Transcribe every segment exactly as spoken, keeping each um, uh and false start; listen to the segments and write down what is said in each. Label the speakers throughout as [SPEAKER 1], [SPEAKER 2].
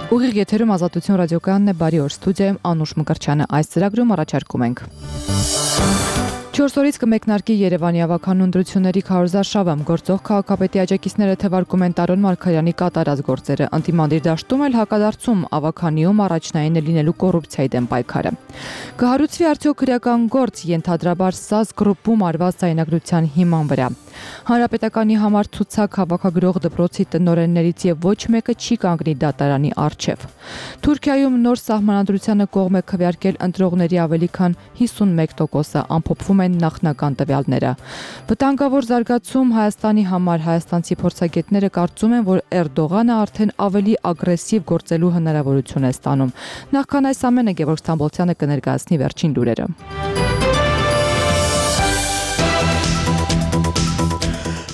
[SPEAKER 1] Ուղիղ եթերում Ազատություն ռադիոկայանն է, բարի օր, ստուդիայում Անուշ Մկրտչյանը, այս ծրագրում առաջարկում ենք. Չորս օրից կմեկնարկի Երևանի ավագանու ընտրությունների քարոզարշավը, գործող քաղաքապետի աջակիցները թվարկում են Տարոն Մարգարյանի կատարած գործերը, ընդդիմադիր դաշտում էլ հակադարձում ավագանիում առաջնային է լինելու կոռուպցիայի դեմ պայքարը։ Կհարուցվի արդյոք քրեական գործ ենթադրաբար ՍԱԶ գրուպում արված ձայնագրության հիման վրա։ Հանրապետականի համար ցուցակ հավաքագրող դպրոցի տնօրեններից եւ ոչ մեկը չի կանգնի դատարանի առջեւ։ Թուրքիայում նոր սահմանադրությանը կողմ է քվեարկել ընտրողների ավելի քան հիսունմեկ տոկոսը, ամփոփվում են նախնական տվյալները։ Վտանգավոր զարգացում Հայաստանի համար հայաստանցի փորձագետները կարծում են, որ Էրդողանը արդեն ավելի ագրեսիվ գործելու հնարավորություն է ստանում։ Նախքան այս ամենը Գևորգ Ստամբոլցյանը կներկայացնի վերջին լուրերը։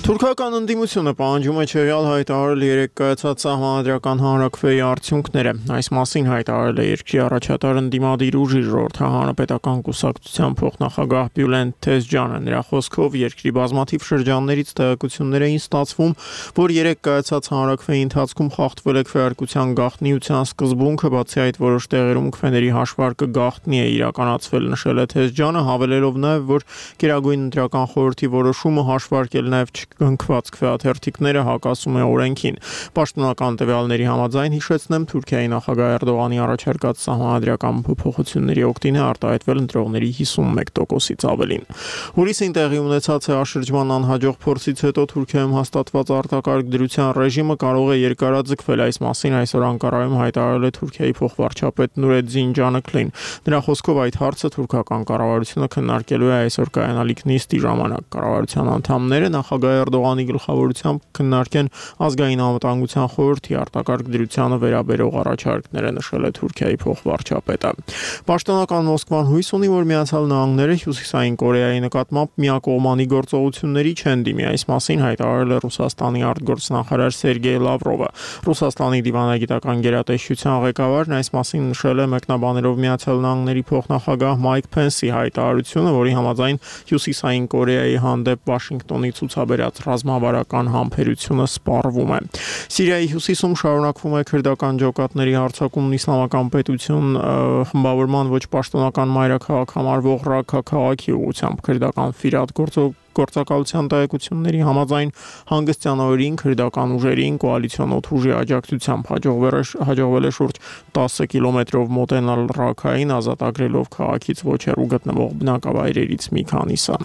[SPEAKER 2] Թուրքական ընդդիմությունը պահանջում է չեղյալ հայտարարել երեկ կայացած սահմանադրական հանրաքվեի արդյունքները։ Այս մասին հայտարարել է երկրի առաջատար ընդդիմադիր ուժի ժողովրդի հանրապետական կուսակցության փոխնախագահ Բյուլեն Թեզջյանը։ Նրա խոսքով երկրի բազմաթիվ շրջաններից տեղեկություններ էին ստացվում, որ երեկ կայացած հանրաքվեի ընթացքում խախտվել է քվեարկության գաղտնիության սկզբունքը, բացի այդ որոշ տեղերում քվեների հաշվարկը գաղտնի է իրականացվել, նշել է Թեզջյանը, հավելելով նաև, որ Գերագույն ընտրական խորհրդի որոշումը հաշվարկել նաև Գնքված քվեաթերթիկները հակասում է օրենքին։ Պաշտոնական տվյալների համաձայն հիշեցնեմ, Թուրքիայի նախագահ Էրդողանի առաջարկած սահմանադրական փոփոխությունների օգտին է արտահայտվել ընտրողների հիսունմեկ տոկոսից ավելին։ Հուլիսին տեղի ունեցած հաշրջման անհաջող փորձից հետո Թուրքիայում հաստատված արտակարգ դրության ռեժիմը կարող է երկարաձգվել։ Այս մասին այսօր Անկարայում հայտարարել է Թուրքիայի փոխվարչապետ Նուրեդզին Ջանըքլին։ Նրա խոսքով այդ հարցը թուրքական կառավարությունը քննարկելու է այսօր կայանալիք նիստի ժամանակ։ Կառավարության անդամները նախագահ Էրդողանի գլխավորությամբ քննարկեն ազգային անվտանգության խորհրդի արտակարգ դրությանը վերաբերող առաջարկները, նշել է Թուրքիայի փոխվարչապետը։ Պաշտոնական Մոսկվան հույս ունի, որ Միացյալ Նահանգները Հյուսիսային Կորեայի նկատմամբ միակողմանի գործողությունների չեն դիմի։ Այս մասին հայտարարել է Ռուսաստանի արտգործնախարար Սերգեյ Լավրովը։ Ռուսաստանի դիվանագիտական գերատեսչության ղեկավարն այս մասին նշել է մեկնաբանելով Միացյալ Նահանգների փոխնախագահ Մայք Փենսի հայտարարությունը, որի համաձայն Հյուսիսային Կորեայի հանդեպ Վաշինգտոնի ցուցաբերած ռազմավարական համբերությունը սպառվում է։ Սիրիայի հյուսիսում շարունակվում է քրդական ջոկատների հարձակումն Իսլամական պետություն խմբավորման ոչ պաշտոնական մայրաքաղաք համարվող Ռաքա քաղաքի ուղղությամբ։ Քրդական Ֆիրատ գործակալության տեղեկությունների համաձայն հանգստյան օրերին քրդական ուժերին կոալիցիոն օդուժի աջակցությամբ հաջողվել է շուրջ տասը կիլոմետրով մոտենալ Ռաքային, ազատագրելով քաղաքից ոչ հեռու գտնվող բնակավայրերից մի քանիսը։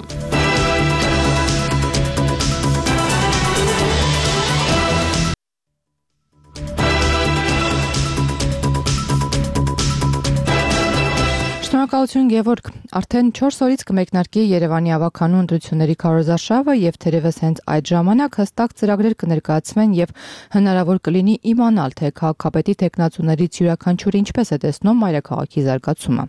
[SPEAKER 1] Շնորհակալություն Գևորգ, արդեն չորս օրից կմեկնարկի Երևանի ավագանու ընտրությունների քարոզարշավը եւ թերևս հենց այդ ժամանակ հստակ ծրագրեր կներկայացվեն եւ հնարավոր կլինի իմանալ, թե քաղաքապետի տեխնացուներից յուրաքանչյուրը ինչպես է տեսնում մայրաքաղաքի զարգացումը։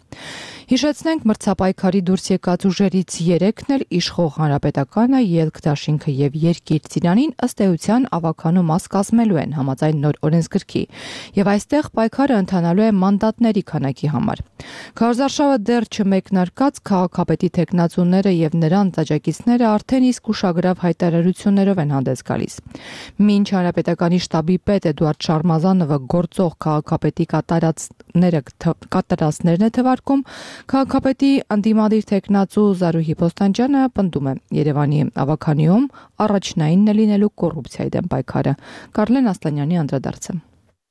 [SPEAKER 1] Հիշեցնենք, մրցապայքարի դուրս եկած ուժերից երեքն էլ իշխող Հանրապետականը, Ելք դաշինքը եւ Երկիր Ծիրանին ըստ էության ավագանու մաս կազմելու են համաձայն նոր օրենսգրքի, եւ այստեղ պայքարը ընթանալու է մանդատների քանակի համար։ Քարոզարշավը դեռ չմեկնարկած քաղաքապետի տեխնացուները եւ նրանց աջակիցները արդեն իսկ ուշագրավ հայտարարություններով են հանդես գալիս։ Մինչ Հանրապետականի շտաբի պետ Էդուարդ Շարմազանովը գործող քաղաքապետի կատարածները կատարածներն է թվարկում, քաղաքապետի ընդդիմադիր տեխնացու Զարուհի Պոստանջյանը պնդում է Երևանի ավագանիում առաջնայինն է լինելու կոռուպցիայի դեմ պայքարը։ Կարլեն Ասլանյանի անդրադարձը։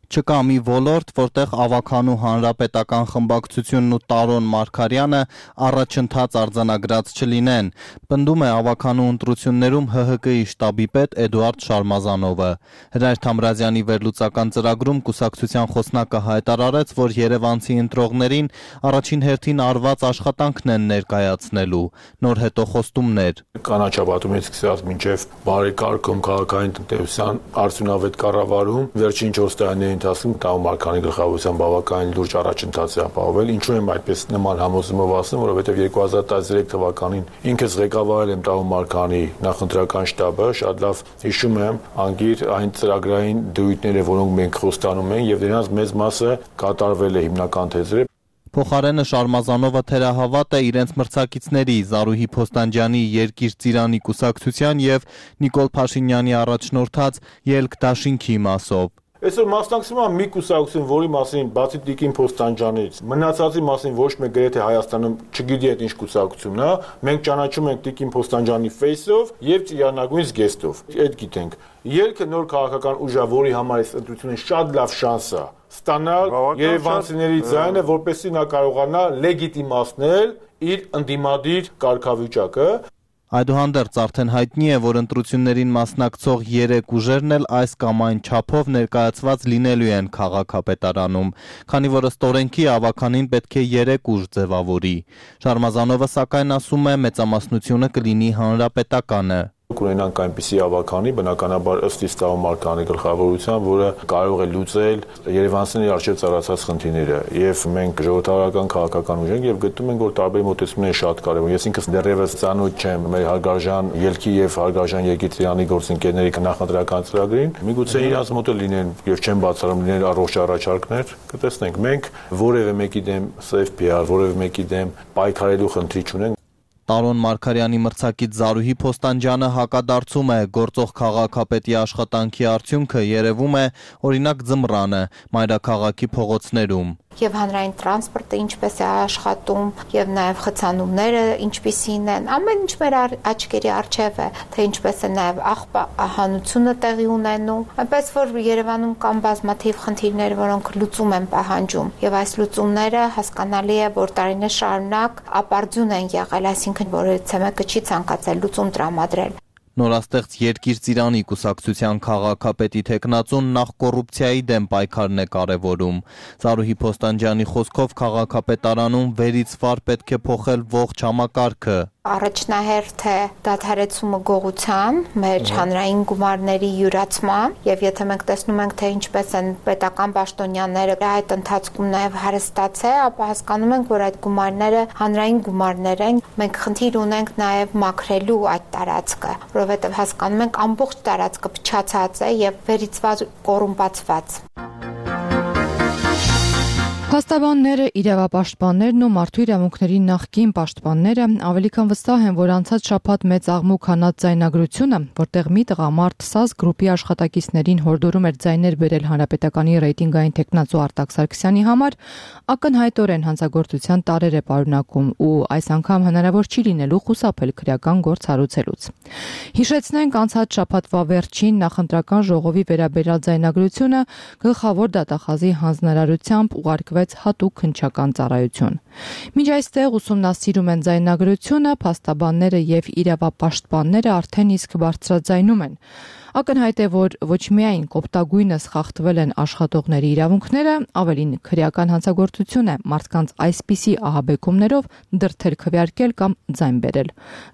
[SPEAKER 3] Չկա մի ոլորտ, որտեղ ավագանու հանրապետական խմբակցությունն ու Տարոն Մարգարյանը առաջընթաց արձանագրած չլինեն, պնդում է ավագանու ընտրություններում Հ Հ Կի շտաբի պետ Էդուարդ Շարմազանովը։ Հրայր Թամրազյանի վերլուծական ծրագրում կուսակցության խոսնակը հայտարարեց, որ երևանցի ընտրողներին առաջին հերթին արված աշխատանքն են ներկայացնելու, նոր հետոխոստումներ։
[SPEAKER 4] Կանաչապատումից սկսած մինչև բարեկարգում քաղաքային տնտեսության արդյունավետ կառավարում վերջին չորս տարիների ընթացքում Տարոն Մարգարյանի գլխավորությամբ բավականին լուրջ առաջընթաց է ապահովել։ Ինչու եմ այդպես նման համոզումով ասում, որովհետև երկու հազար տասներեք թվականին ինքս ղեկավարել եմ Տարոն Մարգարյանի նախընտրական շտաբը, շատ լավ հիշում եմ անգիր այն ծրագրային դրույթները, որոնք մենք խոստանում ենք, եւ դրանց մեծ մասը կատարվել է հիմնական թեզերը։
[SPEAKER 3] Փոխարենը Շարմազանովը թերահավատ է իրենց մրցակիցների Զարուհի Պոստանջյանի Երկիր Ծիրանի կուսակցության եւ Նիկոլ Փաշինյանի առաջնորդած Ելք դաշինքի մասով։
[SPEAKER 4] Այսօր մասնակցում եմ մի կուսակցություն, որի մասին բացի Տիկին Փոստանջանից, մնացածի մասին ոչ մեկ գրեթե Հայաստանում չգիտի այդ ինչ կուսակցությունն է, մենք ճանաչում ենք Տիկին Փոստանջանի face-ով եւ Ծիրանագույն զգեստով։ Այդ գիտենք։ Ելքը նոր քաղաքական ուժ է, որի համար այս ընտրությունը շատ լավ շանս է ստանալ երևանցիների ձայնը, որպեսզի նա կարողանա լեգիտիմացնել իր ընդդիմադիր կարգավիճակը։
[SPEAKER 3] Այդուհանդերձ արդեն հայտնի է, որ ընտրություններին մասնակցող երեք ուժերն էլ այս կամ այն չափով ներկայացված լինելու են քաղաքապետարանում, քանի որ ըստ օրենքի ավականին պետք է երեք ուժ ձևավորի։ Շարմազանովը սակայն ասում է, մեծամասնությունը կլինի հանրապետականը։
[SPEAKER 4] Կունենանք այնպիսի ավականի, բնականաբար ըստ Իսլամ Մարկանի գլխավորության, որը կարող է լուծել երևանցիների առջև ծառացած խնդիրները, եւ մենք ժողովրդական քաղաքական ուժ ենք եւ գտնում ենք, որ տարբեր մոտեցումներ շատ կարեւոր։ Ես ինքս դեռևս ծանոթ չեմ մեր հարգարժան ելքի եւ հարգարժան Եկիցյանի գործընկերների նախընտրական ծրագրին։ Միգուցե իրանց մոտ լինեն եւ չեն բացառում լինեն առողջ առաջարկներ, կտեսնենք։ Մենք որևէ մեկի դեմ safe P R, որևէ մեկի դեմ պայքարելու խնդրի չունենք։
[SPEAKER 3] Տարոն Մարգարյանի մրցակից Զարուհի Փոստանջյանը հակադարձում է գործող քաղաքապետի աշխատանքի արդյունքը երևում է օրինակ ձմռանը մայրաքաղաքի փողոցներում։
[SPEAKER 5] Եվ հանրային տրանսպորտը ինչպես է աշխատում, եւ նաեւ խցանումները ինչպիսին են, ամեն ինչ մեր աչքերի առջև է, թե ինչպես է նաեւ աղբահանությունը տեղի ունենում, այնպես որ Երևանում կան բազմաթիվ խնդիրներ, որոնք լուծում են պահանջում, եւ այս լուծումները հասկանալի է, որ տարիներ շարունակ ապարդյուն են եղել, այսինքն որևիցե մեկը չի ցանկացել լուծում տրամադրել։
[SPEAKER 3] Նորաստեղծ Երկիր Ծիրանի կուսակցության քաղաքապետի թեկնածուն նախ կոռուպցիայի դեմ պայքարն է կարևորում։ Զարուհի Փոստանջյանի խոսքով քաղաքապետարանում վերից վար պետք է փոխել ողջ համակարգը։
[SPEAKER 5] Առաջնահերթ է դադարեցումը գողության, մեր հանրային գումարների յուրացման, եւ եթե մենք տեսնում ենք, թե ինչպես են պետական պաշտոնյաները այդ ընթացքում նաեւ հարստացել, ապա հասկանում ենք, որ այդ գումարները հանրային գումարներ են։ Մենք խնդիր ունենք նաեւ մաքրելու այդ տարածքը, որովհետեւ հասկանում ենք ամբողջ տարածքը փչացած է եւ վերիցված կոռումպացված։
[SPEAKER 1] Փաստաբանները, իրավապաշտպաններն ու մարդու իրավունքների նախկին պաշտպանները ավելի քան վստահ են, որ անցած շաբաթ մեծ աղմուկ հանած ձայնագրությունը, որտեղ մի տղամարդ ՍԱԶ գրուպի աշխատակիցներին հորդորում էր ձայներ բերել հանրապետականի ռեյտինգային թեկնածու Արտակ Սարգսյանի համար, ակնհայտորեն հանցագործության տարրեր է պարունակում ու այս անգամ հնարավոր չի լինելու խուսափել քրեական գործ հարուցելուց։ Հիշեցնենք, անցած շաբաթվա վերջին նախընտրական ժողովի վերաբերյալ ձայնագրությունը գլխավոր դատախազի հանձնարարությամբ ուղարկվեց հատուկ քննչական ծառայություն։ Մինչ այստեղ ուսումնասիրում են ձայնագրությունը, փաստաբանները եւ իրավապաշտպանները արդեն իսկ բարձրաձայնում են։ Ակնհայտ է, որ ոչ միայն կոպտագույնս խախտվել են աշխատողների իրավունքները, ավելին քրեական հանցագործություն է մարդկանց այսպիսի ահաբեկումներով դրդել քվեարկել կամ ձայն բերել։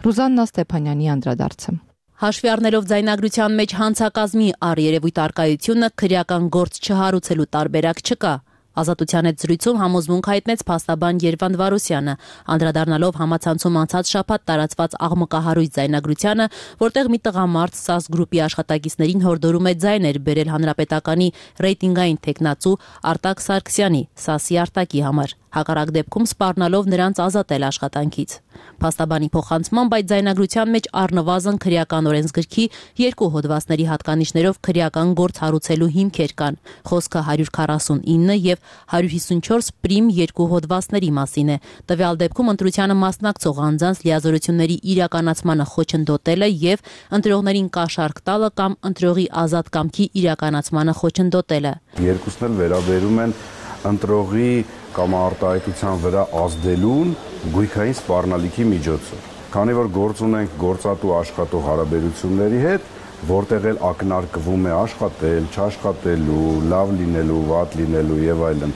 [SPEAKER 1] Ռուզաննա Ստեփանյանի անդրադարձը։
[SPEAKER 6] Հաշվի առնելով ձայնագրության մեջ հանցակազմի առերևույթ արկայությունը քրեական գործ չհարուցելու տարբերակ չկա։ Ազատության հետ զրույցում համոզմունք հայտնեց փաստաբան Երվանդ Վարոսյանը, անդրադառնալով համացանցում անցած շաբաթ տարածված աղմկահարույց ձայնագրությանը, որտեղ մի տղամարդ ՍԱԶ գրուպի աշխատակիցներին հորդորում է ձայներ բերել հանրապետականի ռեյտինգային թեկնածու Արտակ Սարգսյանի, ՍԱՍ-ի Արտակի համար, հակառակ դեպքում սպառնալով նրանց ազատել աշխատանքից։ Փաստաբանի փոխանցմամբ այդ ձայնագրության մեջ առնվազն քրեական օրենսգրքի երկու հոդվածների հատկանիշներով քրեական գործ հարուցելու հիմքեր կան։ Խոսքը հարյուր քառասունինը եւ հարյուր հիսունչորս պրիմ երկու հոդվածների մասին է։ Տվյալ դեպքում ընտրությանը մասնակցող անձանց լիազորությունների իրականացմանը խոչընդոտելը եւ ընտրողներին կաշառք տալը կամ ընտրողի ազատ կամքի իրականացմանը խոչընդոտելը։
[SPEAKER 7] Երկուսն էլ վերաբերում են ընտրողի կամ արտահայտության վրա ազդելուն գույքային սպառնալիքի միջոցով։ Քանի որ գործ ունենք գործատու աշխատող հարաբերությունների հետ, որտեղ էլ ակնարկվում է աշխատել, չաշխատելու, լավ լինելու, վատ լինելու եւ այլն,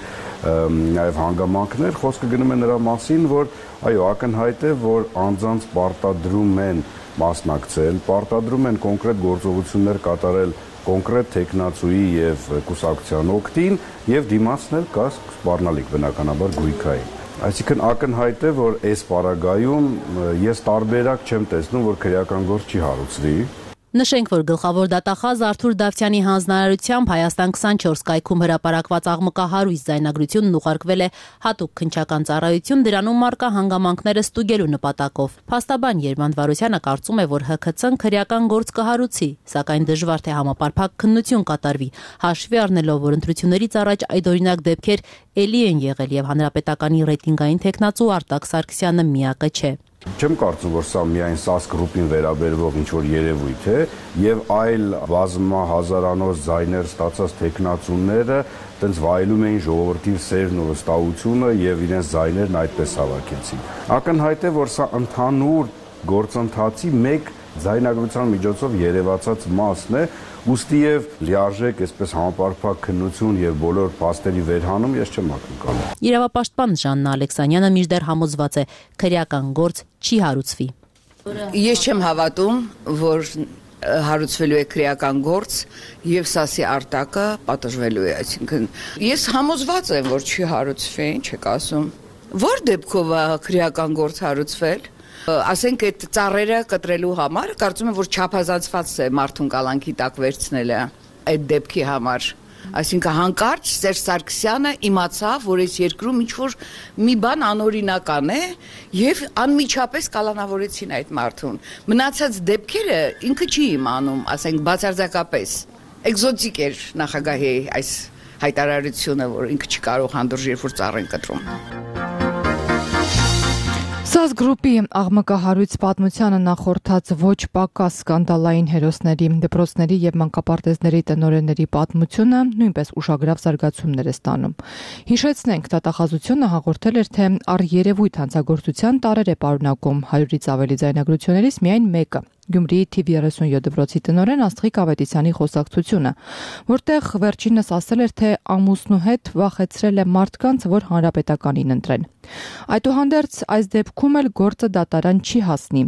[SPEAKER 7] նաեւ հանգամանքներ, խոսքը գնում է նրա մասին, որ այո, ակնհայտ է, որ անձանց պարտադրում են մասնակցել, պարտադրում են կոնկրետ գործողություններ կատարել կոնկրետ թեկնածուի եւ կուսակցության օգտին եւ դիմացնել կա սպառնալիք բնականաբար գույքային։ Այսինքն ակնհայտ է, որ այս պարագայում ես տարբերակ չեմ տեսնում, որ քրեական գործ չի հարուցվի։
[SPEAKER 6] Նշենք, որ գլխավոր դատախազ Արթուր Դավթյանի հանձնարարությամբ Հայաստան քսանչորս կայքում հրապարակված աղմկահարույց ձայնագրությունն ուղարկվել է հատուկ քննչական ծառայություն դրանում առկա հանգամանքները ստուգելու նպատակով։ Փաստաբան Երվանդ Վարոսյանը կարծում է, որ Հ K C-ն քրեական գործ կհարուցի, սակայն դժվար թե համապարփակ քննություն կատարվի, հաշվի առնելով, որ ընտրություններից առաջ այդօրինակ դեպքեր էլի են եղել եւ հանրապետականի ռեյտինգային թեկնածու Արտակ Սարգսյանը միակը չէ։
[SPEAKER 7] Չեմ կարծում, որ սա միայն ՍԱՍ գրուպին վերաբերվող ինչ-որ երևույթ է եւ այլ բազմահազարանոց ձայներ ստացած թեկնածուները տենց վայելում էին ժողովրդի սերն ու վստահությունը եւ իրենց ձայներն այդպես հավաքեցին։ Ակնհայտ է, որ սա ընդհանուր գործընթացի մեկ ձայնագրության միջոցով երևացած մասն է, ուստի եւ լիարժեք այսպես համապարփակ քննություն եւ բոլոր փաստերի վերհանում ես չեմ ակնկալում։
[SPEAKER 6] Իրավապաշտպան Ժաննա Ալեքսանյանը մինչդեռ համոզված է, քրեական գործ չի հարուցվի։
[SPEAKER 8] Ես չեմ հավատում, որ հարուցվելու է քրեական գործ եւ ՍԱՍ-ի արտակը պատժվելու է, այսինքն ես համոզված եմ, որ չի հարուցվի, ինչ եք ասում։ Որ դեպքով է քրեական գործ հարուցվել։ Ասենք այդ ծառերը կտրելու համար կարծում եմ, որ չափազանցված է մարդուն կալանքի տակ վերցնելը այդ դեպքի համար։ Այսինքն հանկարծ Սերժ Սարգսյանը իմացավ, որ այս երկրում ինչ-որ մի բան անօրինական է եւ անմիջապես կալանավորեցին այդ մարդուն։ Մնացած դեպքերը ինքը չի իմանում, ասենք բացարձակապես։ Էկզոտիկ էր նախագահի այս հայտարարությունը, որ ինքը չի կարող հանդուրժ երբ որ ծառ են կտրում։
[SPEAKER 1] ՍԱՍ գրուպի աղմկահարույց պատմությանը նախորդած ոչ պակաս սկանդալային հերոսների, դպրոցների եւ մանկապարտեզների տնօրենների պատմությունը նույնպես ուշագրավ զարգացումներ է ստանում։ Հիշեցնենք, դատախազությունը հաղորդել էր, թե առերևույթ հանցագործության տարեր է պարունակում հարյուրից ավելի ձայնագրություններից միայն մեկը։ Գյումրիի թիվ երեսունյոթ դպրոցի տնօրեն Աստղիկ Ավետիսյանի խոսակցությունը, որտեղ վերջինս ասել էր, թե ամուսնու հետ վախեցրել է մարդկանց, որ հանրապետականին ընտրեն։ Այդուհանդերձ այս դեպքում էլ գործը դատարան չի հասնի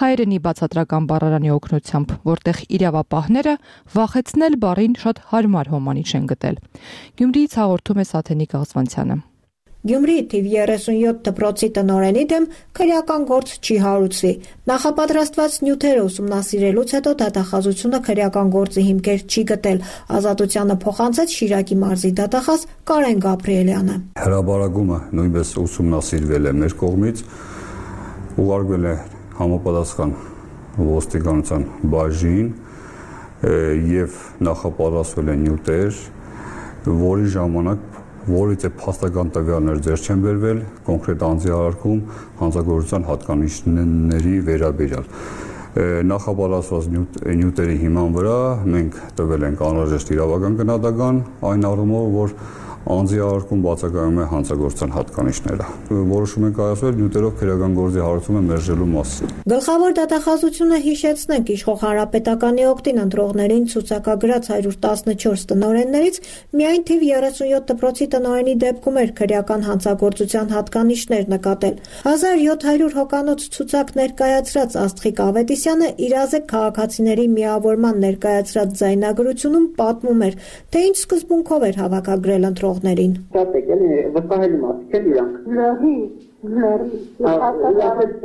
[SPEAKER 1] հայերենի բացատրական բառարանի օգնությամբ, որտեղ իրավապահները վախեցնել բառին շատ հարմար հոմանիշ են գտել։ Գյումրիից հաղորդում է Սաթենիկ Աղզվանցյանը։
[SPEAKER 9] Գյումրիի թիվ երեսունյոթ դպրոցի տնօրենի դեմ քրեական գործ չի հարուցվի։ Նախապատրաստված նյութերը ուսումնասիրելուց հետո դատախազությունը քրեական գործի հիմքեր չի գտել։ Ազատությանը փոխանցեց Շիրակի մարզի դատախազ Կարեն Գաբրիելյանը։
[SPEAKER 10] Հրաբարագումը նույնպես ուսումնասիրվել է մեր կողմից, ուղարկվել է համապատասխան ոստիկանության բաժին եւ նախապատրաստվել են նյութեր, որի ժամանակ որից է փաստական տվյալներ ձեռք չեն բերվել կոնկրետ անձի արարքում հանցագործության հատկանիշների վերաբերյալ։ Նախապատրաստված նյութերի հիման վրա մենք տվել ենք անհրաժեշտ իրավական գնահատական այն առումով, որ անձի արարքում բացակայում է հանցագործության հատկանիշները։ Որոշում ենք կայացվել նյութերով քրեական գործի հարուցումը մերժելու մասին։
[SPEAKER 9] Գլխավոր դատախազությունը հիշեցնենք իշխող հանրապետականի օգտին ընտրողներին ցուցակագրած հարյուր տասնչորս տնօրեններից միայն թիվ երեսունյոթ դպրոցի տնօրենի դեպքում էր քրեական հանցագործության հատկանիշներ նկատել։ հազար յոթ հարյուր հոկանոց ցուցակ ներկայացրած Աստղիկ Ավետիսյանը իրազեկ քաղաքացիների միավորման ներկայացրած ձայնագրությունում պատմում էր, թե ինչ սկզբունքով էր հավաքագրել ընտրողներին։
[SPEAKER 11] Շատ է գալի վստահելի մարդիկ են իրանք։ Լրի, լրի։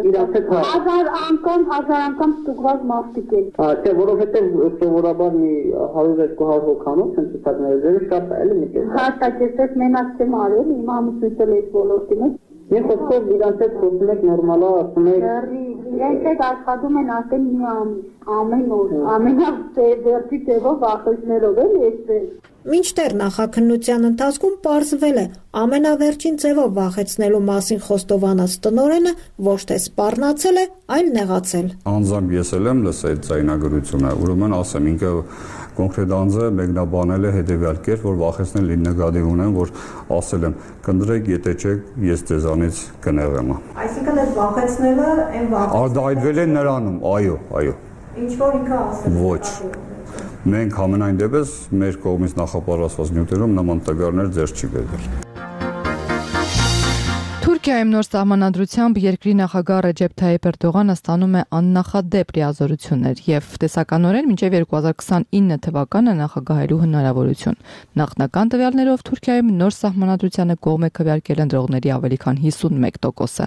[SPEAKER 11] Իրանք հազար անգամ, հազար անգամ ստուգված մարդիկ են։ Չէ, որովհետև սովորաբար մի հարյուր երկու հարյուր հոգանոց են ցուցակները, շատ է էլի մի կես։ Հաստատեցեք մենակ չեմ արել, իմ ամուսնուց էլ այս ոլորտին է։ Ես խոսքով իրանք հետ խոսում եք նորմալա, ասում եք։ Իրենք հետ աշխատում են ասել մի ամիս, ամեն օր, ամենավերդի տևով վախեցներով էլ էսպես։
[SPEAKER 9] Մինչդեռ նախաքննության ընթացքում պարզվել է, ամենավերջին ձևով վախեցնելու մասին խոստովանած տնօրենը ոչ թե սպառնացել է, այլ նեղացել։
[SPEAKER 10] Անձամբ ես էլ եմ լսել այդ ձայնագրությունը, ուրեմն ասեմ, ինքը կոնկրետ անձը մեկնաբանել է հետևյալ կերպ, որ վախեցնել լինի նկատի ունեմ, որ ասել եմ, կընտրեք, եթե չեք, ես ձեզանից կնեղեմ։
[SPEAKER 9] Այսինքն այդ վախեցնելը այն վախեցնելը
[SPEAKER 10] արտահայտվել է նրանում, այո, այո։
[SPEAKER 9] Ինչ որ ինքը ասել։
[SPEAKER 10] Ոչ։ Մենք ամենայն դեպս մեր կողմից նախապատրաստված նյութերում նման տվյալներ ձեռք չի բերվել։
[SPEAKER 1] Թուրքիայում նոր սահմանադրությամբ երկրի նախագահ Ռեջեփ Թայիփ Էրդողանը ստանում է աննախադեպ լիազորություններ եւ տեսականորեն մինչեւ երկու հազար քսանինը թվականը նախագահելու հնարավորություն։ Նախնական տվյալներով Թուրքիայում նոր սահմանադրությանը կողմ է քվեարկել ընտրողների ավելի քան հիսունմեկ տոկոսը։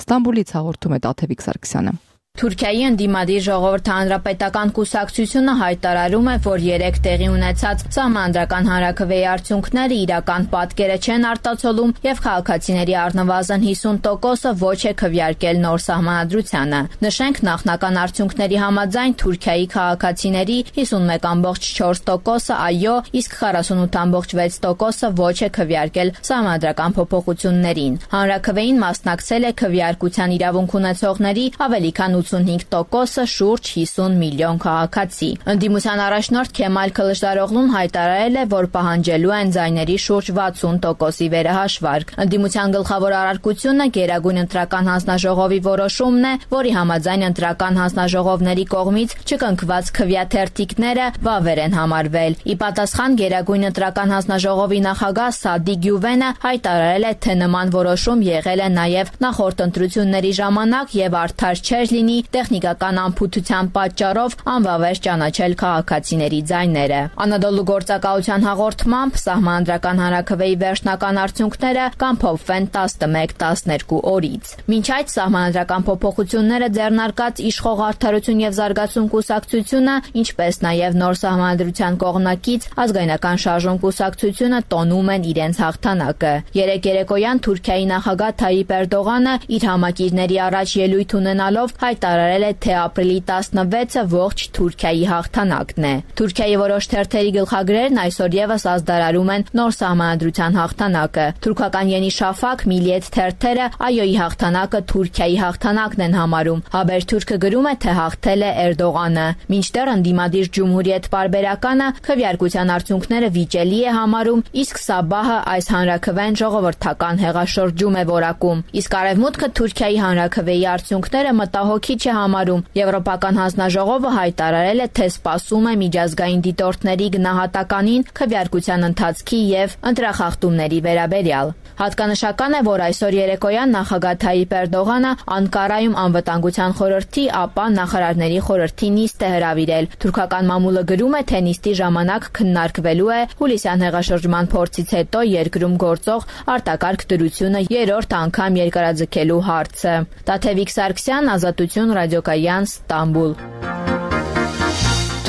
[SPEAKER 1] Ստամբուլից հաղորդում է Տաթևիկ Սարգսյանը։
[SPEAKER 12] Թուրքիայի ընդդիմադիր ժողովրդի հանրապետական կուսակցությունը հայտարարում է, որ երեք տեղի ունեցած սահմանադրական հանրաքվեի արդյունքները իրական պատկերը չեն արտացոլում եւ քաղաքացիների առնվազն հիսուն տոկոսը ոչ է քվեարկել նոր սահմանադրությանը։ Նշենք, նախնական արդյունքների համաձայն Թուրքիայի քաղաքացիների հիսունմեկ ամբողջ չորս տոկոսը այո, իսկ քառասունութ ամբողջ վեց տոկոսը ոչ է քվեարկել սահմանադրական փոփոխություններին։ Հանրաքվեին մասնակցել է քվեարկության իրավունք ունեցողների ավելի քան ութսունհինգ տոկոսը, շուրջ հիսուն միլիոն քաղաքացի։ Ընդդիմության առաջնորդ Քեմալ Քլշդարօղլուն հայտարարել է, որ պահանջելու են ձայների շուրջ վաթսուն տոկոսի վերահաշվարկ։ Ընդդիմության գլխավոր առարկությունը Գերագույն ընտրական հանձնաժողովի որոշումն է, որի համաձայն ընտրական հանձնաժողովների կողմից չկնքված քվեաթերթիկները վավեր են համարվել։ Ի պատասխան Գերագույն ընտրական հանձնաժողովի նախագահ Սադի Գյուվենը հայտարարել է, թե նման որոշում եղել է նաև նախորդ ընտրությունների ժամանակ եւ արդար չէր լինի տեխնիկական անփութության պատճառով անվավեր ճանաչել քաղաքացիների ձայները։ Անադոլու գործակալության հաղորդմամբ սահմանադրական հանրաքվեի վերջնական արդյունքները կամփոփվեն տասնմեկ տասներկու օրից։ Մինչ այդ սահմանադրական փոփոխությունները ձեռնարկած Իշխող Արդարություն եւ Զարգացում կուսակցությունը, ինչպես նաև նոր սահմանադրության կողմնակից Ազգայնական շարժում կուսակցությունը տոնում են իրենց հաղթանակը։ Երեք երեկոյան Թուրքիայի նախագահ Թայիպ Էրդողանը իր համակիրների առաջ ելույթ ունենալով հայտարարել է, թե ապրիլի տասնվեցը ողջ Թուրքիայի հաղթանակն է։ Թուրքիայի որոշ թերթերի գլխագրերն այսօր եւս ազդարարում են նոր սահմանադրության հաղթանակը։ Թուրքական Yeni Shafak, Milliyet թերթերը այոյի հաղթանակը Թուրքիայի հաղթանակն են համարում։ Haberturk-ը գրում է, թե հաղթել է Էրդողանը։ Մինչդեռ ընդդիմադիր Ջումհուրիետ պարբերականը քվեարկության արդյունքները վիճելի է համարում, իսկ Սաբահը այս հանրաքվեն ժողովրդական հեղաշրջում է որակում։ Իսկ Արևմուտքը Թուրքիայի հանրաքվեի արդյունքները մտահոգիչ է համարում։ Եվրոպական հանձնաժողովը հայտարարել է, թե սպասում է միջազգային դիտորդների գնահատականին քվեարկության ընթացքի եւ ընտրախախտումների վերաբերյալ։ Հատկանշական է, որ այսօր երեկոյան նախագահ Թայիպ Էրդողանը Անկարայում անվտանգության խորհրդի, ապա նախարարների խորհրդի նիստ է հրավիրել։ Թուրքական մամուլը գրում է, թե նիստի ժամանակ քննարկվելու է հուլիսյան հեղաշրջման փորձից հետո երկրում գործող արտակարգ դրությունը երրորդ անգամ երկարաձգելու հարցը։ Տաթևիկ Սարգսյան, Ազատություն, Ռադիոկայան, Ստամբուլ։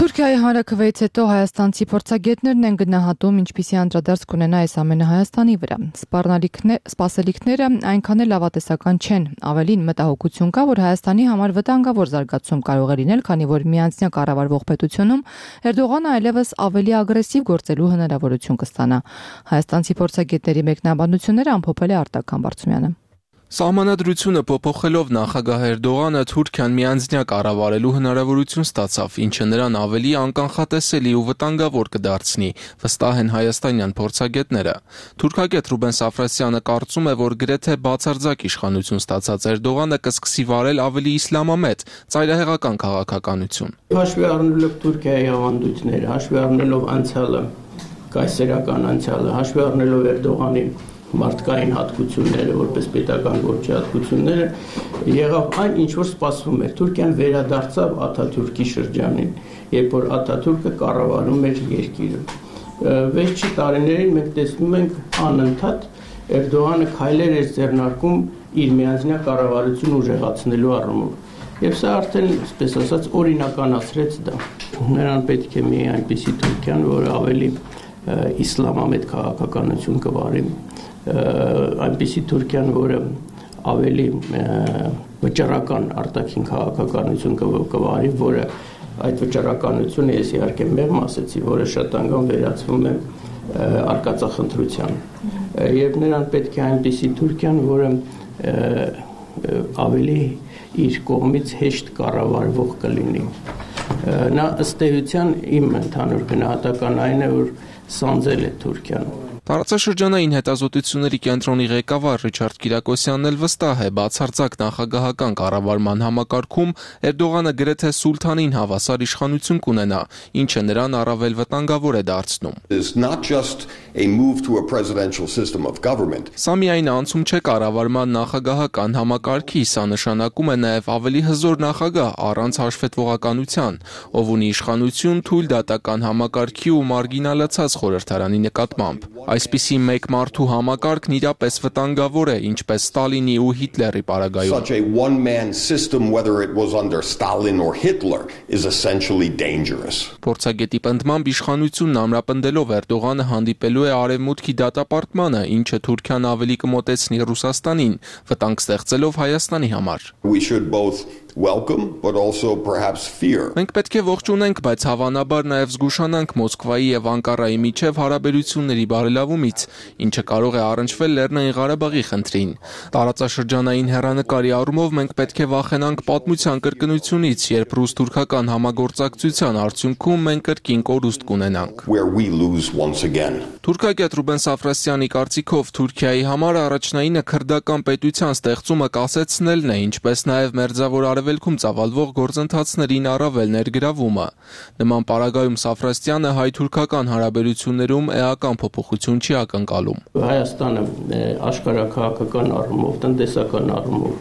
[SPEAKER 1] Թուրքիայի հանրաքվեից հետո հայաստանցի փորձագետներն են գնահատում, ինչպիսի անդրադարձ կունենա այս ամենը Հայաստանի վրա։ Սպասելիքները այնքան էլ լավատեսական չեն։ Ավելին, մտահոգություն կա, որ Հայաստանի համար վտանգավոր զարգացում կարող է լինել, քանի որ միանձնյա կառավարվող պետությունում Էրդողանը այլևս ավելի ագրեսիվ գործելու հնարավորություն կստանա։ Հայաստանցի փորձագետների մեկնաբանությունները ամփոփել է Արտակ Համբարձումյանը։
[SPEAKER 13] Սահմանադրությունը փոփոխելով նախագահ Էրդողանը Թուրքիան միանձնյա կառավարելու հնարավորություն ստացավ, ինչը նրան ավելի անկանխատեսելի ու վտանգավոր կդարձնի, վստահ են հայաստանյան փորձագետները։ Թուրքագետ Ռուբեն Սաֆրասյանը կարծում է, որ գրեթե բացարձակ իշխանություն ստացած Էրդողանը կսկսի վարել ավելի իսլամամետ, ծայրահեղական քաղաքականություն։
[SPEAKER 14] Հաշվի առնելով Թուրքիայի ավանդույթները, հաշվի առնելով անցյալը, կայսերական անցյալը, հաշվի առնելով Էրդողանի մարդկային հատկությունները, որպես պետական գործի հատկությունները, եղավ այն, ինչ որ սպասվում էր։ Թուրքիան վերադարձավ Աթաթուրքի շրջանին, երբ որ Աթաթուրքը կառավարում էր երկիրը։ Վերջի տարիներին մենք տեսնում ենք անընդհատ Էրդողանը քայլեր էր ձեռնարկում իր միանձնյա կառավարությունը ուժեղացնելու առումով։ Եվ սա արդեն, այսպես ասած, օրինականացրեց դա։ Նրան պետք է մի այնպիսի Թուրքիան, որը ավելի իսլամամետ քաղաքականություն կվարի, այնպիսի Թուրքիան, որը ավելի վճռական արտաքին քաղաքականություն կվարի, որը այդ վճռականությունը ես իհարկե մեղմ ասեցի, որը շատ անգամ վերածվում է արկածախնդրության։ Եվ նրան պետք է այնպիսի Թուրքիան, որը ավելի իր կողմից հեշտ կառավարվող կլինի։ Նա ըստ էության իմ ընդհանուր գնահատական այն է, որ սանձել է Թուրքիան։
[SPEAKER 13] Տարածաշրջանային հետազոտությունների կենտրոնի ղեկավար Ռիչարդ Կիրակոսյանն էլ վստահ է, բացարձակ նախագահական կառավարման համակարգում Էրդողանը գրեթե սուլթանին հավասար իշխանություն կունենա, ինչը նրան առավել վտանգավոր է դարձնում։ Սա միայն անցում չէ կառավարման նախագահական համակարգի, սա նշանակում է նաև ավելի հզոր նախագահ առանց հաշվետվողականության։ ով ունի իշխանություն թույլ դատական համակարգի ու մարգինալացած խորհրդարանի նկատմամբ։ Այսպիսի մեկ մարդու համակարգն իրապես վտանգավոր է, ինչպես Ստալինի ու Հիտլերի պարագայում։
[SPEAKER 15] Such a one-man system, whether it was under Stalin or Hitler, is essentially dangerous.
[SPEAKER 13] Փորձագետի պնդմամբ իշխանությունն ամրապնդելով Էրդողանը հանդիպելու է արևմուտքի դատապարտմանը, ինչը Թուրքիան ավելի կմոտեցնի Ռուսաստանին, վտանգ ստեղծելով Հայաստանի համար։
[SPEAKER 15] We should both welcome, but also perhaps fear.
[SPEAKER 13] Մենք պետք է ողջունենք, բայց հավանաբար նաև զգուշանանք Մոսկվայի եւ Անկարայի միջև հարաբերությունների բարելավումից, ինչը կարող է առնչվել Լեռնային Ղարաբաղի խնդրին։ Տարածաշրջանային հեռանկարի առումով մենք պետք է վախենանք պատմության կրկնությունից, երբ ռուս-թուրքական համագործակցության արդյունքում մենք կրկին կորուստ կունենանք։
[SPEAKER 15] Where we lose once again.
[SPEAKER 13] Թուրքագետ Ռուբեն Սաֆրասյանի կարծիքով Թուրքիայի համար առաջնայինը քրդական պետության ստեղծումը կասեցնելն է, ինչպես նաև մերձավոր արևելքում ծավալվող գործընթացներին առավել ներգրավումը։ Նման պարագայում Սաֆրասյանը հայ-թուրքական հարաբերություններում էական փոփոխություն չի ակնկալում։
[SPEAKER 14] Հայաստանը աշխարհաքաղաքական առումով, տնտեսական առումով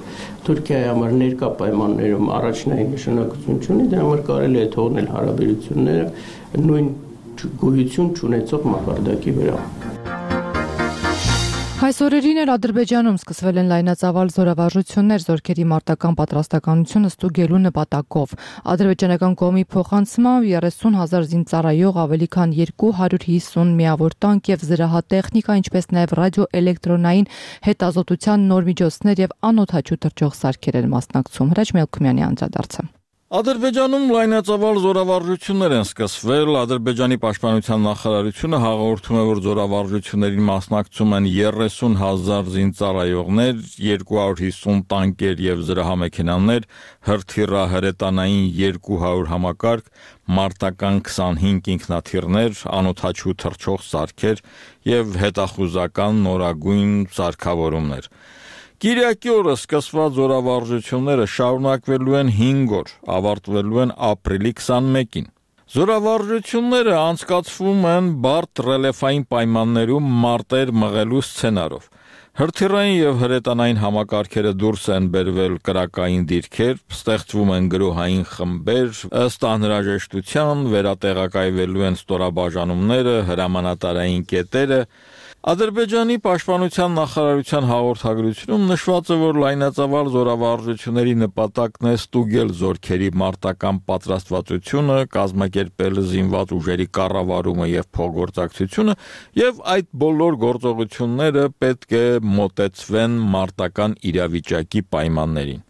[SPEAKER 14] Թուրքիայի համար ներկա պայմաններում առաջնային նշանակություն չունի, դրա համար կարելի է թողնել հարաբերությունները նույն գոյություն չունեցող մակարդակի վրա։
[SPEAKER 1] Այս օրերին էլ Ադրբեջանում սկսվել են լայնածավալ զորավարժություններ զորքերի մարտական պատրաստականությունը ստուգելու նպատակով։ Ադրբեջանական կողմի փոխանցմամբ երեսուն հազար զինծառայող, ավելի քան երկու հարյուր հիսուն միավոր տանկ եւ զրահատեխնիկա, ինչպես նաեւ ռադիոէլեկտրոնային հետազոտության նոր միջոցներ եւ անօդաչու թռչող սարքեր են մասնակցում։ Հրաչ Մելքումյանի անդրադարձը։
[SPEAKER 16] Ադրբեջանում լայնածավալ զորավարժություններ են սկսվել։ Ադրբեջանի պաշտպանության նախարարությունը հաղորդում է, որ զորավարժություններին մասնակցում են երեսուն հազար զինծառայողներ, երկու հարյուր հիսուն տանկեր եւ զրահամեքենաներ, հրթիռահրետանային երկու հարյուր համակարգ, մարտական քսանհինգ ինքնաթիռներ, անօդաչու թռչող սարքեր եւ հետախուզական նորագույն սարքավորումներ։ Կիրակի օրը սկսված զորավարժությունները շարունակվելու են հինգ օր, ավարտվելու են ապրիլի քսանմեկին։ Զորավարժությունները անցկացվում են բարդ ռելիեֆային պայմաններում մարտեր մղելու սցենարով։ Հրթիռային եւ հրետանային համակարգերը դուրս են բերվել կրակային դիրքեր, ստեղծվում են գրոհային խմբեր, ըստ անհրաժեշտության վերատեղակայվելու են ստորաբաժանումները, հրամանատարային կետերը։ Ադրբեջանի պաշտպանության նախարարության հաղորդագրությունում նշված է, որ լայնածավալ զորավարժությունների նպատակն է ստուգել զորքերի մարտական պատրաստվածությունը, կազմակերպել զինված ուժերի կառավարումը եւ փոխգործակցությունը, եւ այդ բոլոր գործողությունները պետք է մոտեցվեն մարտական իրավիճակի պայմաններին։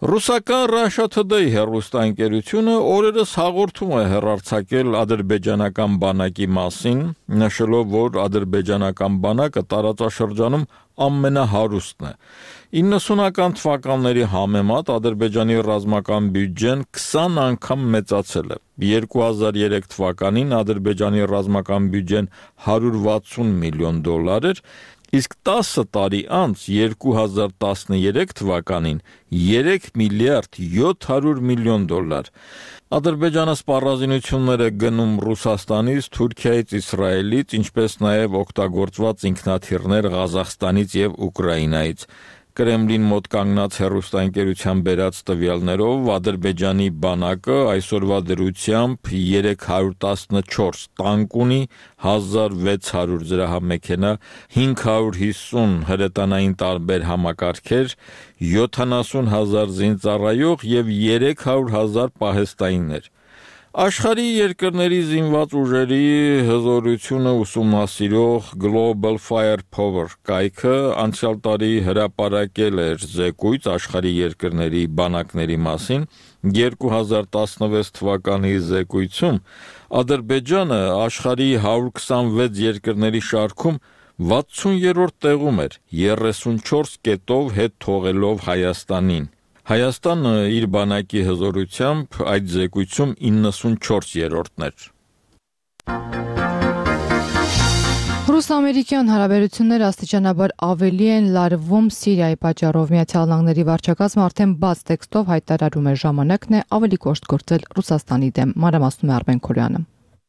[SPEAKER 16] Ռուսական Russia Today հեռուստաընկերությունը օրերս հաղորդում է հեռարձակել ադրբեջանական բանակի մասին, նշելով, որ ադրբեջանական բանակը տարածաշրջանում ամենահարուստն է։ իննսունական թվականների համեմատ Ադրբեջանի ռազմական բյուջեն քսան անգամ մեծացել է։ երկու հազար երեք թվականին Ադրբեջանի ռազմական բյուջեն հարյուր վաթսուն միլիոն դոլար էր, իսկ տասը տարի անց երկու հազար տասներեք թվականին երեք միլիարդ յոթ հարյուր միլիոն դոլար։ Ադրբեջանը սպառազինություններ է գնում Ռուսաստանից, Թուրքիայից, Իսրայելից, ինչպես նաև օգտագործված ինքնաթիռներ Ղազախստանից եւ Ուկրաինայից։ Կրեմլին մոտ կանգնած հեռուստաընկերության բերած տվյալներով Ադրբեջանի բանակը այսօրվա դրությամբ երեք հարյուր տասնչորս տանկ ունի, հազար վեց հարյուր զրահամեքենա, հինգ հարյուր հիսուն հրետանային տարբեր համակարգեր, յոթանասուն հազար զինծառայող եւ երեք հարյուր հազար պահեստայիններ։ Աշխարհի երկրների զինված ուժերի հզորությունը ուսումնասիրող Global Firepower կայքը անցյալ տարի հրապարակել էր զեկույց աշխարհի երկրների բանակների մասին։ երկու հազար տասնվեց թվականի զեկույցում Ադրբեջանը աշխարհի հարյուր քսանվեց երկրների շարքում վաթսուներորդ տեղում էր, երեսունչորս կետով հետ թողելով Հայաստանին։ Հայաստանը իր բանակի հզորությամբ այդ զեկույցում իննսունչորսերորդն էր։
[SPEAKER 1] Ռուս-ամերիկյան հարաբերությունները աստիճանաբար ավելի են լարվում Սիրիայի պատճառով։ Միացյալ Նահանգների վարչակազմը արդեն բաց տեքստով հայտարարում է ժամանակն է ավելի կոշտ գործել Ռուսաստանի դեմ։ Մանրամասնում է Արմեն Քոլյանը։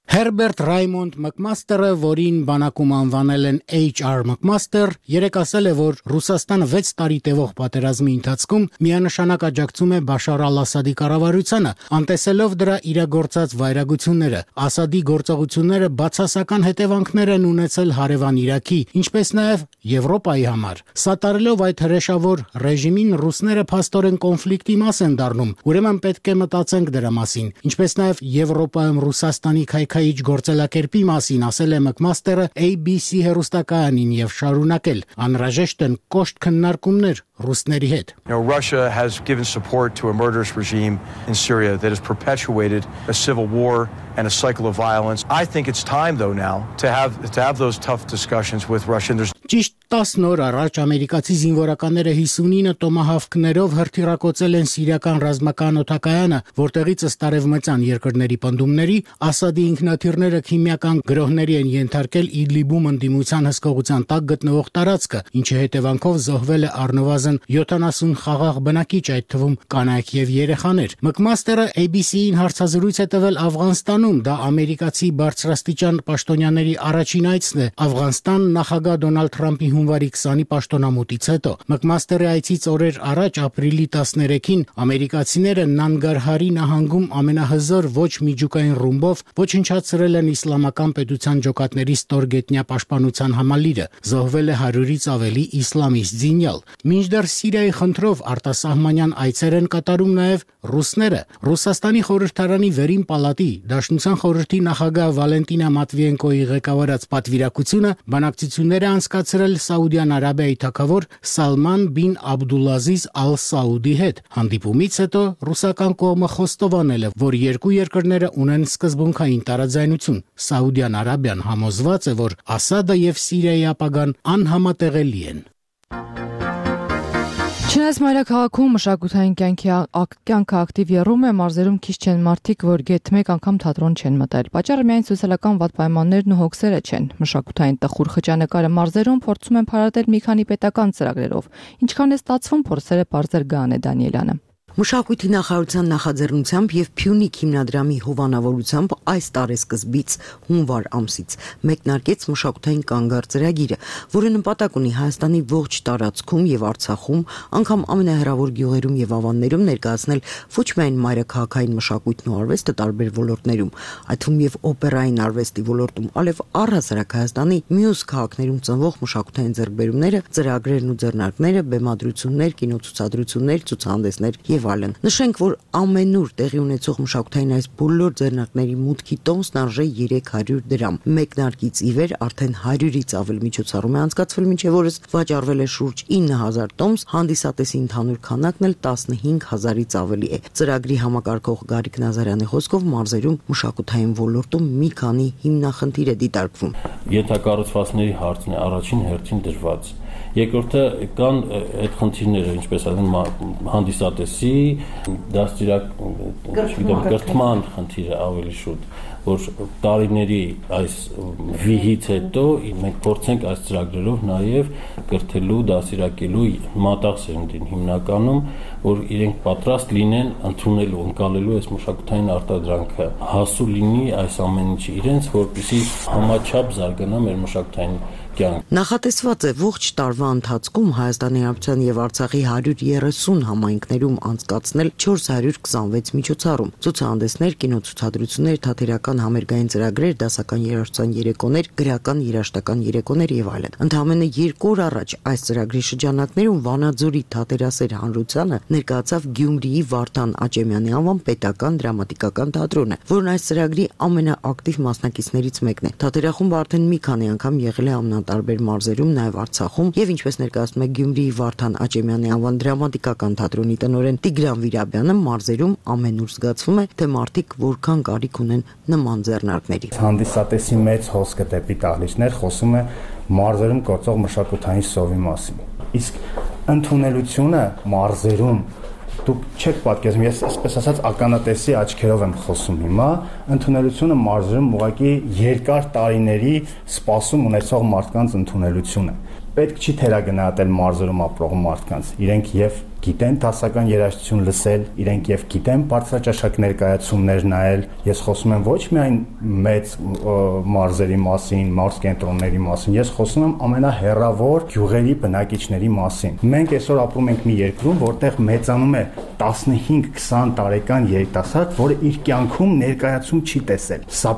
[SPEAKER 17] Herbert Raymond McMaster-ը, որին բանակում անվանել են H R McMaster, երեկ ասել է, որ Ռուսաստանը վեց տարի տևող պատերազմի ընթացքում միանշանակ աջակցում է Բաշար al-Ասադի կառավարությանը, անտեսելով դրա իրագործած վայրագությունները։ Ասադի գործողությունները բացասական հետևանքներ են ունեցել հարևան Իրաքի, ինչպես նաև Եվրոպայի համար։ Սատարելով այդ հրեշավոր ռեժիմին, ռուսները փաստորեն կոնֆլիկտի մաս են դառնում, ուրեմն պետք է մտածենք դրա մասին, ինչպես նաև Եվրոպայում Ռուսաստանի քայքայիչ գործելակերպի մասին ասել է McMaster-ը A B C հեռուստակայանին եւ շարունակել. անհրաժեշտ են կոշտ քննարկումներ ռուսների հետ։
[SPEAKER 18] You know, Russia has given support to a murderous regime in Syria that has perpetuated a civil war and a cycle of violence. I think it's time though now to have to have those tough discussions with Russia. There's
[SPEAKER 17] Ճիշտ տասն օր առաջ ամերիկացի զինվորականները հիսունինը տոմահավքներով հրթիռակոծել են սիրիական ռազմական օդակայանը, որտեղից ըստ արևմտյան երկրների պնդումների Ասադի ինքնաթիռները քիմիական գրոհների են ենթարկել Իդլիբում ընդդիմության հսկողության տակ գտնվող տարածքը, ինչի հետևանքով զոհվել է առնվազն յոթանասուն խաղաղ բնակիչ, այդ թվում կանայք եւ երեխաներ։ McMaster-ը A B C-ին հարցազրույց է տվել Աֆղանստանում, դա ամերիկացի բարձրաստիճան պաշտոնյաների առաջին այցն է Աֆղանստան նախագահ Դոնալդ Թրամփի հունվարի քսանի պաշտոնամուտից հետո։ McMaster-ի այցից օրեր առաջ ապրիլի տասներեքին ամերիկացիները Նանգարհարի նահանգում ամենահզոր ոչ միջուկային ռումբով ոչնչացրել են իսլամական պետության ջոկատների ստորգետնյա պաշտպանության համալիրը, զոհվել է հարյուրից ավելի իսլամիստ զինյալ։ Մինչդեռ Սիրիայի խնդրով արտասահմանյան այցեր են կատարում նաև ռուսները։ Ռուսաստանի խորհրդարանի վերին պալատի Դաշնության խորհրդի նախագահ Վալենտինա Մատվիենկոյի ղեկավարած պատվիրակությունը բանակցություններ է անցկացրել Սաուդյան Արաբիայի թագավոր Սալման բին Աբդուլազիզ Ալ Սաուդի հետ։ Հանդիպումից հետո ռուսական կողմը խոստովանել է, որ երկու երկրները ունեն սկզբունքային տարաձայնություն։ Սաուդյան Արաբիան համոզված է, որ Ասադը եւ Սիրիայի ապագան անհամատեղելի են։
[SPEAKER 1] Չնայած մայրաքաղաքում մշակութային կյանքի կյանքը ակտիվ եռում է, մարզերում քիչ չեն մարդիկ, որ գեթ մեկ անգամ թատրոն չեն մտել։ Պատճառը միայն սոցիալական վատ պայմաններն ու հոգսերը չեն։ Մշակութային տխուր խճանկարը մարզերում փորձում են փարատել մի քանի պետական ծրագրերով։ Ինչքան է ստացվում, փորձերը բարձր Գանե Դանիելյանը։
[SPEAKER 19] Մշակույթի նախարարության նախաձեռնությամբ եւ Փյունիկ հիմնադրամի հովանավորությամբ այս տարեսկզբից հունվար ամսից մեկնարկեց մշակութային կանգառ ծրագիրը, որը նպատակ ունի Հայաստանի ողջ տարածքում եւ Արցախում, անգամ ամենահեռավոր գյուղերում եւ ավաններում ներկայացնել ոչ միայն մայրաքաղաքային մշակույթն ու արվեստը տարբեր ոլորտներում, այդ թվում եւ օպերային արվեստի ոլորտում, այլև առհասարակ Հայաստանի մյուս քաղաքներում ծնվող մշակութային ձեռքբերումները, ծրագրերն ու ձեռնարկները, բեմադրություններ, կինոցուցադրություններ, ցուցահանդեսներ եւ այլն։ Նշենք, որ ամենուր տեղի ունեցող մշակութային այս բոլոր ձեռնարկների մուտքի տոմսն արժե երեք հարյուր դրամ։ Մեկնարկից ի վեր արդեն հարյուրից ավել միջոցառում է անցկացվել, մինչև օրս վաճառվել է շուրջ ինը հազար տոմս, հանդիսատեսի ընդհանուր քանակն էլ տասնհինգ հազարից ավելի է։ Ծրագրի համակարգող Գարիկ Նազարյանի խոսքով մարզերում մշակութային ոլորտում մի քանի հիմնախնդիր է դիտարկվում։
[SPEAKER 20] Ենթակառուցվածքների հարցն է առաջին հերթին դժվար։ Երկրորդը կան այդ խնդիրները, ինչպես ասեմ, հանդիսատեսի, դաստիարակ, չգիտեմ, կրթման խնդիրը ավելի շուտ, որ տարիների այս վիհից հետո մենք փորձենք այս ծրագրերով նաև կրթելու, դաստիարակելու մատաղ սերունդին հիմնականում, որ իրենք պատրաստ լինեն ընդունելու, ընկալելու այս մշակութային արտադրանքը, հասու լինի այս ամեն ինչը իրենց, որպեսզի համաչափ զարգանա մեր մշակութային կյանք։
[SPEAKER 19] Նախատեսված է ողջ տարվա ընթացքում Հայաստանի Հանրապետության եւ Արցախի հարյուր երեսուն համայնքներում անցկացնել չորս հարյուր քսանվեց միջոցառում, ցուցահանդեսներ, կինոցուցադրություններ, թատերական համերգային ծրագրեր, դասական երաժշտության երեկոներ, գրական երաժշտական երեկոներ եւ այլն։ Ընդամենը երկու օր առաջ այս ծրագրի շրջանակներում Վանաձորի թատերասեր հանրությանը ներկայացավ Գյումրիի Վարդան Աճեմյանի անվան պետական դրամատիկական թատրոնը, որն այս ծրագրի ամենաակտիվ մասնակիցներից մեկն է։ Թատերախումբը արդեն մի քանի անգամ եղել է ամենատարբեր մարզերում, նաև Արցախում, եւ ինչպես ներկայացնում է Գյումրիի Վարդան Աճեմյանի անվան դրամատիկական թատրոնի տնօրեն Տիգրան Վիրաբյանը, մարզերում ամենուր զգացվում է, թե մարդիկ որքան կարիք ունեն նման ձեռնարկների։
[SPEAKER 21] Հանդիսատեսի մեծ հոսքը դեպի տալիչներ խոսում է մարզերում գործող մշակութային սովի մասին։ Իսկ ընդունելությունը մարզերում դուք չեք պատկերացնում, ես այսպես ասած ականատեսի աչքերով եմ խոսում հիմա, ընդունելությունը մարզերում ուղղակի երկար տարիների սպասում ունեցող մարդկանց ընդունելությունը։ Պետք չի թերագնահատել մարզերում ապրող մարդկանց, իրենք եւ գիտեն դասական երաժշտություն լսել, իրենք եւ գիտեն բարձրաճաշակ ներկայացումներ նայել։ Ես խոսում եմ ոչ միայն մեծ մարզերի մասին, մարզ կենտրոնների մասին, ես խոսում եմ ամենահեռավոր գյուղերի բնակիչների մասին։ Մենք այսօր ապրում ենք մի երկրում, որտեղ մեծանում է տասնհինգ քսան տարեկան երիտասարդ, որը իր կյանքում ներկայացում չի տեսել։ Սա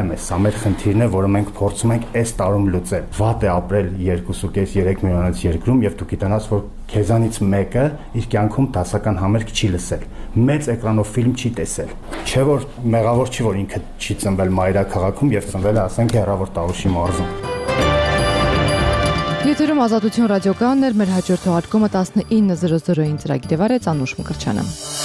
[SPEAKER 21] խնդրեմ է, սա մեր խնդիրն է, որը մենք փորձում ենք այս տարում լուծել։ Վատ է ապրել երկու կես երեք միլիոնից երկրում եւ դու գիտենաս, որ քեզանից մեկը իր կյանքում դասական համերգ չի լսել, մեծ էկրանով ֆիլմ չի տեսել։ Չէ որ մեղավոր չի, որ ինքը չի ծնվել մայրաքաղաքում եւ ծնվել է, ասենք, հեռավոր Տավուշի մարզում։
[SPEAKER 1] Եթերում Ազատություն ռադիոկայանն էր, մեր հաջորդ թողարկումը տասնինը զրո զրոին ծրագիրը վարեց Անուշ Մկրտչյանը։